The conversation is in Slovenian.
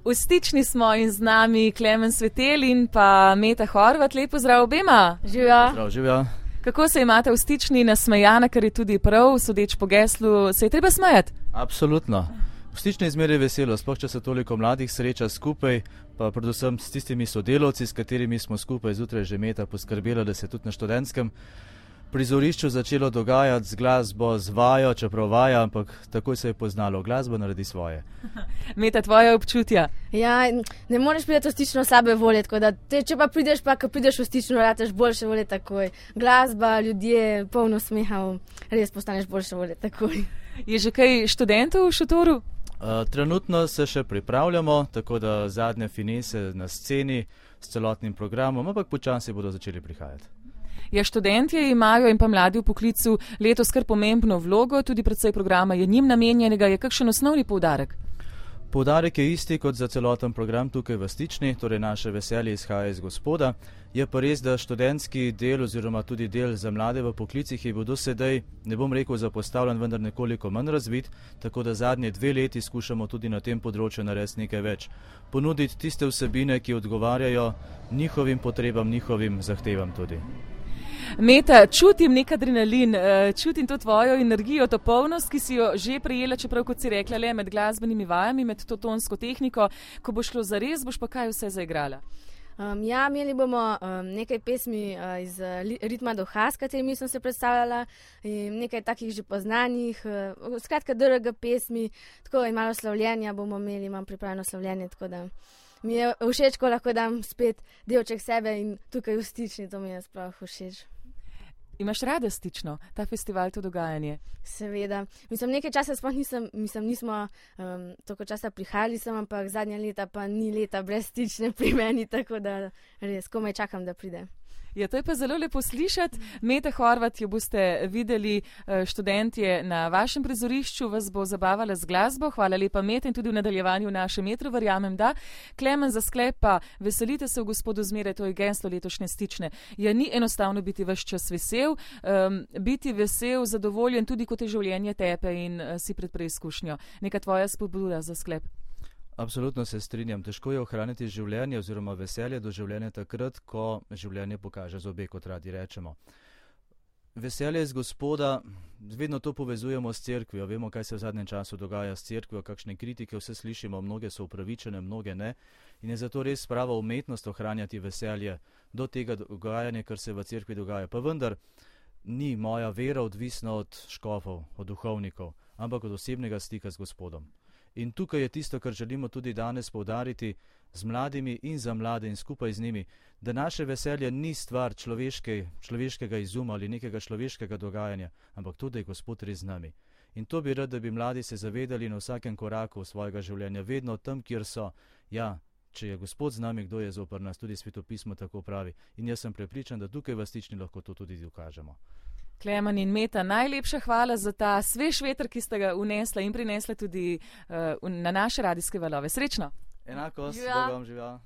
V Stični smo in z nami Klemen Svetelj in pa Meta Horvat. Lep pozdrav obema. Živjo. Živjo. Kako se imate v Stični nasmejana, kar je tudi prav, sodeč po geslu, se je treba smejati? Absolutno. V Stični izmeri veselo, sploh če se toliko mladih sreča skupaj, pa predvsem s tistimi sodelavci, s katerimi smo skupaj zjutraj že Meta poskrbela, da se tudi na študentskem prizorišču začelo dogajati z glasbo, z vajo, čeprav vaja, ampak takoj se je poznalo, glasba naredi svoje. Meta, tvoje občutja? Ja, ne moreš priti v Stično slabe volje, tako da če pa prideš, ko prideš v Stično, rateš boljše volje takoj. Glasba, ljudje, polno smeha, res postaneš boljše volje takoj. Je že kaj študentov v šotoru? Trenutno se še pripravljamo, tako da zadnje finese na sceni s celotnim programom, ampak počasi bodo začeli prihajati. Ja, študentje imajo in pa mladi v poklicu letos kar pomembno vlogo, tudi precej programa je njim namenjenega. Je kakšen osnovni poudarek? Poudarek je isti kot za celoten program tukaj v Stični, torej naše veselje izhaja iz Gospoda. Je pa res, da študentski del oziroma tudi del za mlade v poklicih je bil do sedaj, ne bom rekel zapostavljen, vendar nekoliko manj razvit, tako da zadnje 2 leti skušamo tudi na tem področju narediti nekaj več. Ponuditi tiste vsebine, ki odgovarjajo njihovim potrebam, njihovim zahtevam tudi. Meta, čutim nek adrenalin, čutim to tvojo energijo, to polnost, ki si jo že prejela, čeprav kot si rekla, le med glasbenimi vajami, med to tonsko tehniko. Ko bo šlo zares, boš pa kaj vse zaigrala? Ja, imeli bomo nekaj pesmi iz ritma duha, s katerimi sem se predstavljala, in nekaj takih že poznanih, skratka drga pesmi, tako in malo slavljenja bomo imeli, imam pripravljeno slavljenje, tako da mi je všeč, ko lahko dam spet delček sebe in tukaj v Stični, to mi je sploh všeč. Imaš rada Stično, ta festival, to dogajanje? Seveda. Mislim, nekaj časa sploh nismo toliko časa prihajali sem, ampak zadnja leta pa ni leta brez Stične pri meni, tako da res komaj čakam, da pride. Ja, to je pa zelo lepo slišati. Meta Horvat, jo boste videli študentje na vašem prizorišču, vas bo zabavala z glasbo. Hvala lepa, Meta, in tudi v nadaljevanju v našem metru, verjamem, da. Klemen, za sklep pa veselite se v Gospodu zmeraj, to je geslo letošnje Stične. Ja, ni enostavno biti ves čas vesel, biti vesel, zadovoljen, tudi ko te življenje tepe in si pred preizkušnjo. Neka tvoja spodbuda za sklep? Absolutno se strinjam. Težko je ohraniti življenje oziroma veselje do življenja takrat, ko življenje pokaže zobe, kot radi rečemo. Veselje iz Gospoda, vedno to povezujemo s cerkvijo. Vemo, kaj se v zadnjem času dogaja s cerkvijo, kakšne kritike vse slišimo, mnoge so upravičene, mnoge ne. In je zato res prava umetnost ohranjati veselje do tega dogajanja, kar se v cerkvi dogaja. Pa vendar ni moja vera odvisna od škofov, od duhovnikov, ampak od osebnega stika z Gospodom. In tukaj je tisto, kar želimo tudi danes poudariti z mladimi in za mlade in skupaj z njimi, da naše veselje ni stvar človeškega izuma ali nekega človeškega dogajanja, ampak tudi je Gospod res z nami. In to bi rad, da bi mladi se zavedali na vsakem koraku svojega življenja, vedno tam, kjer so. Ja, če je Gospod z nami, kdo je zoper nas, tudi Svetopismo tako pravi. In jaz sem prepričan, da tukaj v Stični lahko to tudi dokažemo. Klemen in Meta, najlepša hvala za ta svež veter, ki ste ga unesla in prinesla tudi na naše radijske valove. Srečno! Enako, Bog vam živja.